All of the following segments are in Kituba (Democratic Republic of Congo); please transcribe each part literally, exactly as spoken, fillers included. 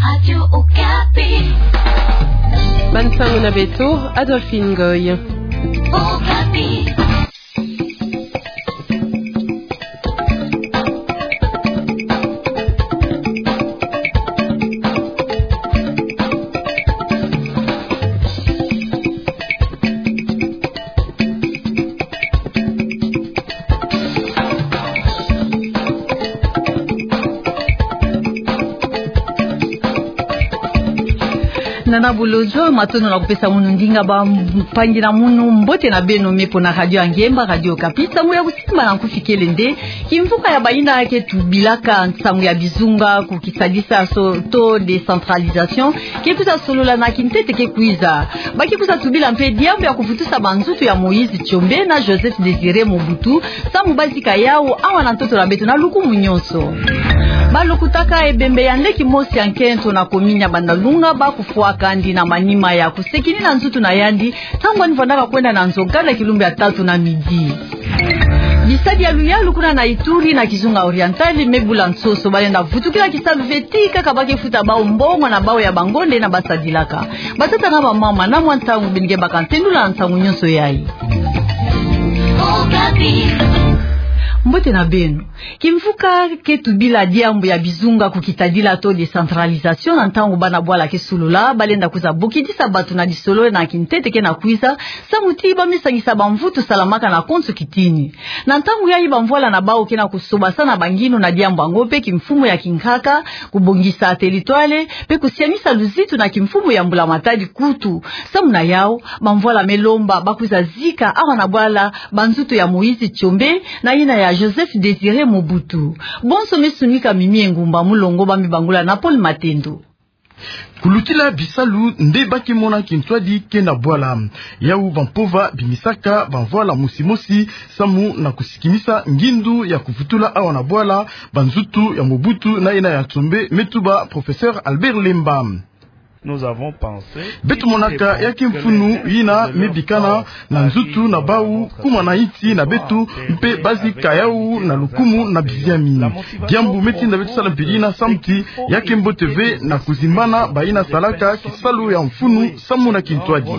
Radio Okapi. Bansangu na beto, Adolphine Ngoy. Okapi. Nana Bolodjwa, matondo na kupesa munu ndinga. Bampangi na munu, mbote na beno, me mpo na Radio Ngemba, Radio Okapi. Nsangu ya kusimba na nkufi kele nde kimvuka ya bayina ke tubilaka nsangu ya bizunga ku kisadisa so taux de centralisation ke kwiza solola na kintete ke kwiza. Ba ke kwiza tubila mpe diambu ya kuvutusa banzutu ya Moïse Tshombe na Joseph Désiré Mobutu, samu ba zika yawu awa na ntoto na beto na lukumu nyonso. Ba lukutaka ebembe ya nleki mosi ya nkento na commune ya Bandalunga ba kufwa kandi na manima ya kusekinina nzutu na yandi, ntangu yandi vandaka kwenda na nzo gala kilumbu ya tatu na midi. Bisadi ya luyalu kuna na Ituri na Kizunga Oriental me bula nsoso, ba lenda vutukila kisalu ve, ti kaka ba ke futa bawu mbongo na bawu ya bangonde yina ba sadilaka. Batata na bamama, na mwa ntangu beno ke baka ntendula na nsangu nyonso yayi. Mbote na beno. Kimvuka ke tubila diambu ya bizunga ku kitadila taux de centralisation, na ntangu bana bwala ke solola, ba lenda kwiza bokidisa bato na lisolo na kintete ke na kwiza, samu ti ba me sangisa bamvutu salamaka na konso kitini. Na ntangu yayi bamvwala na bawu ke na kusobasana banginu na diambu yango mpe kimfumu ya kinkaka, kubongisa territoire, mpe kusianisa luzitu na kimfumu ya mbulamatadi kutu. Samu na yawu, bamvwala me lomba ba kwiza zika awa na bwala banzutu ya Moïse Tshombe na yina ya Joseph Désiré Mobutu. Bonso me sunika Mimi Engumba, mulongo ba me bangula na Paul Matendo. Kulutila bisalu nde ba ke mona kintwadi ke na bwala. Yawu bampova bimisaka bamvwala mosi mosi samu na kusikinisa ngindu ya kuvutula awa na bwala banzutu ya Mobutu na yina ya Tshombe, me tuba professeur Albert Lemba. Nous avons pensé, beto monaka ya ke mfunu yina me bikana na nzutu na bawu, kuma na insi na beto, mpe ba zika yawu na lukumu na biziami. Diambu me tinda beto sala mpila yina samu ti ya ke mbote ve na kuzimbana bayina salaka kisalu ya mfunu samu na kintwadi.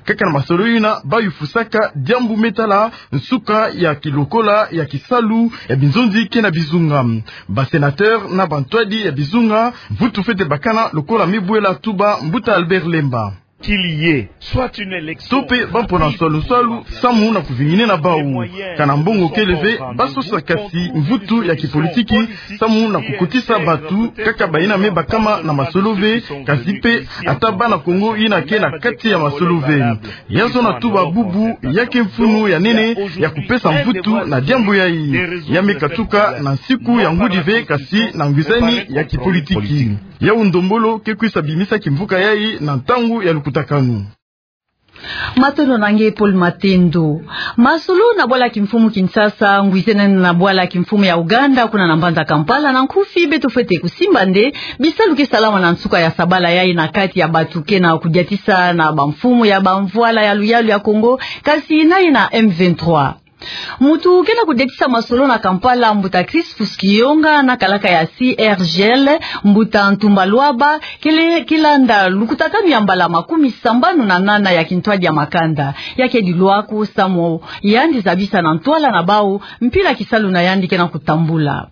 Kaka na masolo yina ba yufusaka diambu me tala nsuka ya kilokola ya kisalu ya binzonzi ke na bizunga. Ba sénateur na bantwadi ya bizunga, mvutu fwete bakana lokola me bwela tuba mbuta Albert Lemba. Qu'il y ait soit une élection, to mpe ba mpona nswalu-nswalu samu na kuvinginena bawu. Kana mbongo kele ve, ba sosa kasi mvutu ya kipolitiki samu na kukotisa bato, kaka bayina me bakama na masolo ve, kasi mpe ata bana Kongo yina ke na kati ya masolo ve. Ya zona tuba bubu ya ke mfunu ya nene ya kupesa mvutu na diambu yayi. Ya me katuka na nsiku ya ngudi ve, kasi na ngwizani ya kipolitiki. Yawu ndombolo ke kwisa bimisa kimvuka yayi na ntangu ya lukutakanu. Matondo na nge Paul Matendo. Masolo na bwala kimfumu Kinshasa, ngwizenene na bwala kimfumu ya Ouganda, kuna na mbanza Kampala, na nkufi beto fwete kusimba nde bisalu ke salama na nsuka ya sabala yayi na kati ya bato ke na kudiatisa na bamfumu ya bamvwala ya luyalu ya Kongo, kasi na yina M vingt-trois. Mutu ke na kudiatisa masolo na Kampala, mbuta Crispus Kiyonga, na kalaka ya C R G L, mbuta Ntumba Luaba, kele kilanda lukutakanu ya mbala makumi sambanu na nana ya kintwadi ya makanda. Ya ke dilwaku samu yandi zabisa na ntwala na bawu mpila kisalu na yandi ke na kutambula.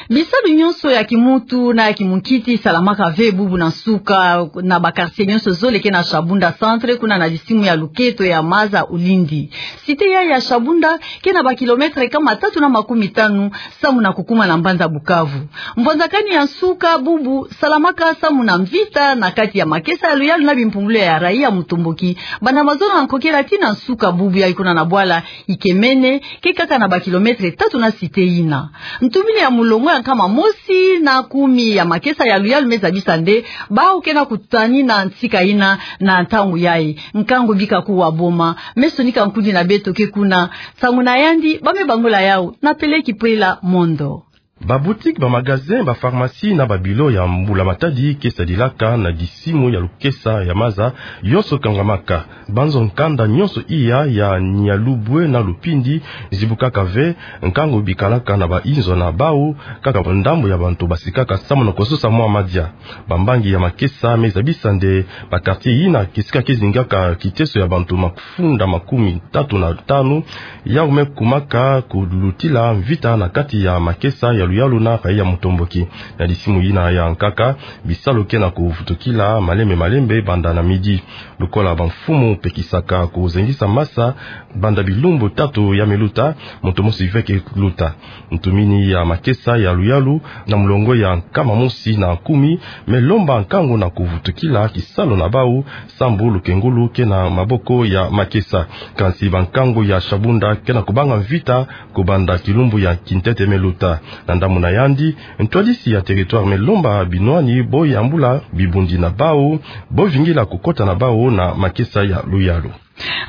Bisalu nyonso ya kimuntu na ya kimunkiti salamaka ve bubu na nsuka na ba quartier nyonso zole ke na Shabunda Centre, kuna na lisimu ya luketo ya Maza Ulindi. Cité ya, ya Shabunda ke na ba kilomètre kama tatu na makumi tanu samu na kukuma na mbanza Bukavu. Mvwanzakani ya nsuka bubu salamaka samu na mvita na kati ya makesa ya luyalu na bimpumbulu ya raia mutomboki. Banda mazono na nkokela tii na nsuka bubu yayi kuna na bwala Ikemene, ke kaka na ba kilomètre tatu na cité yina. Ntumini ya mulongo ya nkama mosi na kumi ya makesa ya luyalu me zabisa nde bawu ke na kutanina ntsika yina na ntangu yayi. Nkangu bika kuwa boma, me sonika nkundi na beto ke kuna. Nsangu na yandi ba me bangula yawu na Peleki Pwela Mondo. Ba boutique, ba magasin, ba pharmacie na ba bilo ya mbula matadi ke sadilaka na disimu ya lukesa ya maza yonso kangamaka. Banzo nkanda nyonso iya ya Nyalubwe na Lupindi zibukaka ve, nkangu bikalaka na ba inzo na bau, kaka ndambu ya bantu basikaka samu na kososa mwa madia. Bambangi ya makesa me zabisa nde ba quartier yina kisika ke zingaka kiteso ya bantu mafunda makumi tatu na tanu, yau me kumaka kulutila mvita na kati ya makesa ya luyalu na rayi ya mutomboki. Na disimu yina ya nkaka, bisalu ke na kuvutukila malembe malembe banda na midi. Lokola bamfumu pekisaka kuzengisa masa banda bilumbu tatu ya meluta, moto mosi ve ke luta. Ntumini ya makesa ya luyalu na mulongo ya nkama mosi na kumi me lomba nkangu na kuvutukila kisalu na bau, sambu lukengulu ke na maboko ya makesa. Kansi bankangu ya Shabunda ke na kubanga mvita kubanda kilumbu ya kintete me luta. Na ndambu na yandi, ntwadisi ya territoire me lomba binwani bo yambula bibundi na bau, bo vingila kukota na bau na makesa ya luyalu.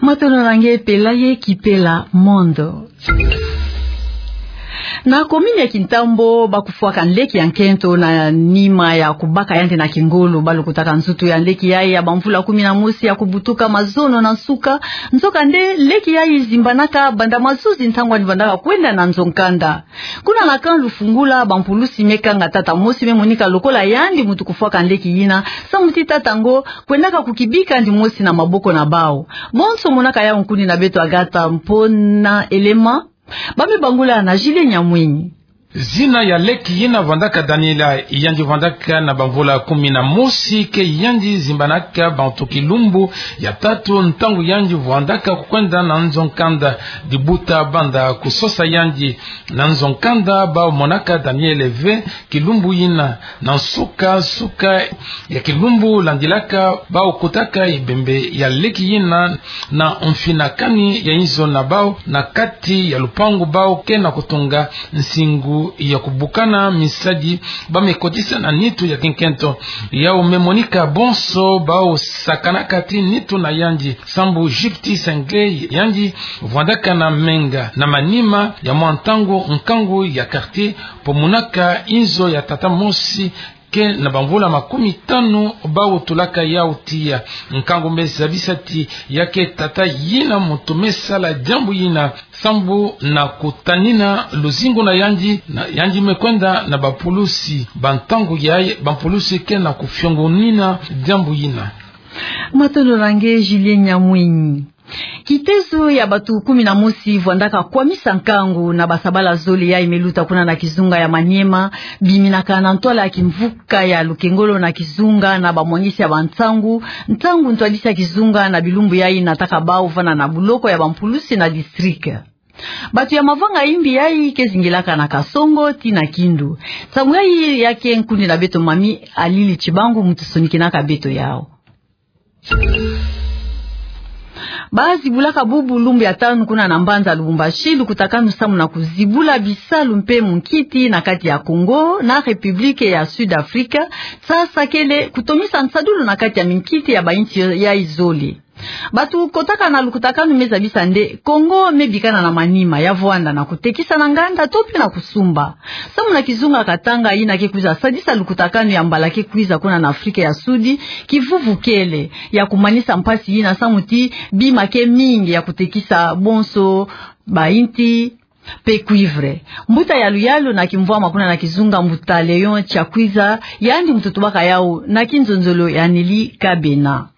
Matondo na nge Pelaye Kipela Mondo. Na commune ya Kintambo, ba kufwaka nleki ya nkento na nima ya kubaka yandi na kingolo. Ba lukutaka nsutu ya nleki yayi ya bamvula kumi na mosi ya kubutuka mazono na nsuka. Nzokande, nleki yayi zimbanaka banda mazuzi ntangu yandi vandaka kwenda na nzo nkanda. Kuna na camp Lufungula, bampulusi me kanga tata mosi, me monika lokola yandi muntu kufwaka nleki yina, samu ti tata yango kwendaka kukibika yandi mosi na maboko na bau. Bonso monaka yau nkundi na beto Agatha Mpona Elema. Ba me bangula na Julien Nyamwinyi. Zina ya leki yina vandaka Daniela, yandi vandaka na bamvula kumi na mosi, ke yandi zimbanaka bantu kilumbu ya tatu ntangu yandi vandaka kukwenda na nzo nkanda. Dibuta banda kusosa yandi na nzo nkanda, ba monaka Daniela ve kilumbu yina. Na nsuka, nsuka ya kilumbu landilaka, ba kutaka ebembe ya leki yina na mfinakani ya inzo na bau na kati ya lupangu bau ke na kutunga nsingu ya kubukana misadi. Ba me kotisa na nitu ya kinkento. Yau me monika bonso bau sakanaka ti nitu na yandi, sambu Jupti Sengle, yandi vandaka na menga na manima ya mwa ntangu nkangu ya quartier, po monaka inzo ya tata mosi ke na bamvula makumi tanu bau tulaka yau tiya. Nkangu me zabisa ti ya ke tata yina muntu me sala diambu yina, sambu na kutanina luzingu na yandi, na yandi me kwenda na bampulusi. Bantangu yayi, bampulusi ke na kufiongonina diambu yina. Matondo na nge Julien Nyamwinyi. Kitezo ya bantu kumi na mosi vandaka kwamisa nkangu na basabala zole yayi me luta kuna na kizunga ya Maniema, biminaka na ntwala ya kimvuka ya lukengolo na kizunga na bamwangisi ya bansangu, ntangu ntwadisi ya kizunga na bilumbu yayi nataka bau vanda na buloko ya bampulusi na district. Bantu ya mavanga imbi yayi ke zingilaka na Kasongo tii na Kindu. Nsangu yayi ya ke nkundi na beto Mami Alili Chibangu, muntu sonikinaka beto yau. Ba zibulaka bubu lumbu ya tanu kuna na mbanza Lubumbashi lukutakanu samu na kuzibula bisalu mpe munkiti na kati ya Congo na République ya Sud Afrique, sasa kele kutomisa nsadulu na kati ya minkiti ya bainsi yayi zole. Bantu kotaka na lukutakanu me zabisa nde Congo me bikana na manima ya vwanda na kutekisa na nganda to mpe na kusumba. Samu na kizunga Katanga yina ke kwiza sadisa lukutakanu ya mbala ke kwiza kuna na Afrika ya Sudi, kivuvu kele ya kumanisa mpasi yina samu ti bima ke mingi ya kutekisa, bonso bainti mpe cuivre. Mbuta ya luyalu na kimvwama kuna na kizunga, mbuta Léon Tiakwiza, yandi muntu tubaka yau na kinzonzolo ya Nelly Kabena.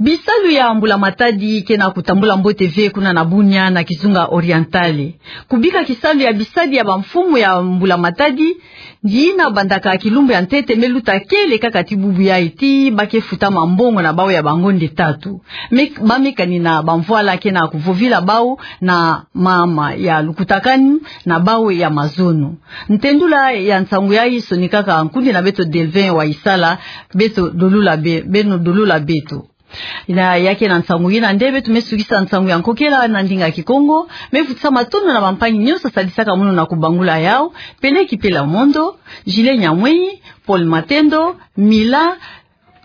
Bisalu ya mbula matadi ke na kutambula mbote ve kuna na Bunia na kizunga Orientale. Kubika kisalu ya bisadi ya bamfumu ya mbula matadi, yina bandaka kilumbu ya ntete me luta kele kaka tii bubu yayi tii ba ke futa mambongo na bau ya bangonde tatu. Me, ba me kanina bamvwala ke na kuvovila bau na mama ya lukutakanu na bau ya mazono. Ntendula ya nsangu yayi sonikaka nkundi na beto Delvin Waisala, beto dolula be-, beno dolula beto. Yina ya ke na nsangu yina nde beto me sukisa nsangu ya nkokela na ndinga Kikongo. Me vutisa matondo na bampangi nyonso sadisaka munu na kubangula yau: Pele Kipela Mondo, Julien Nyamwinyi, Paul Matendo, Mila,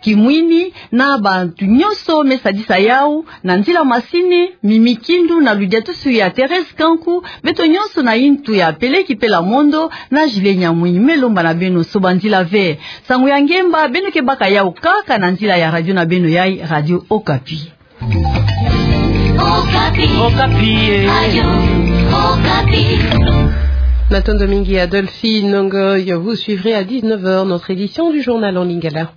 kimwini, na bantu nyonso me sadisa yawu na nzila masini, Mimi Kindu na ludiatusu ya Thérèse Kanku, beto nyonso na ntu ya Peleki Pela Mondo na Julien Nyamwini. Me lomba na beno soba nzila ve. Sango ya ngemba, beno ke baka yawu kaka na nzila ya radio na beno yayi, Radio Okapi. Okapi. Okapi, eh. Radio Okapi. Matondo mingi Adolphine Ngoy, vous suivrez à dix-neuf heures notre édition du journal en lingala.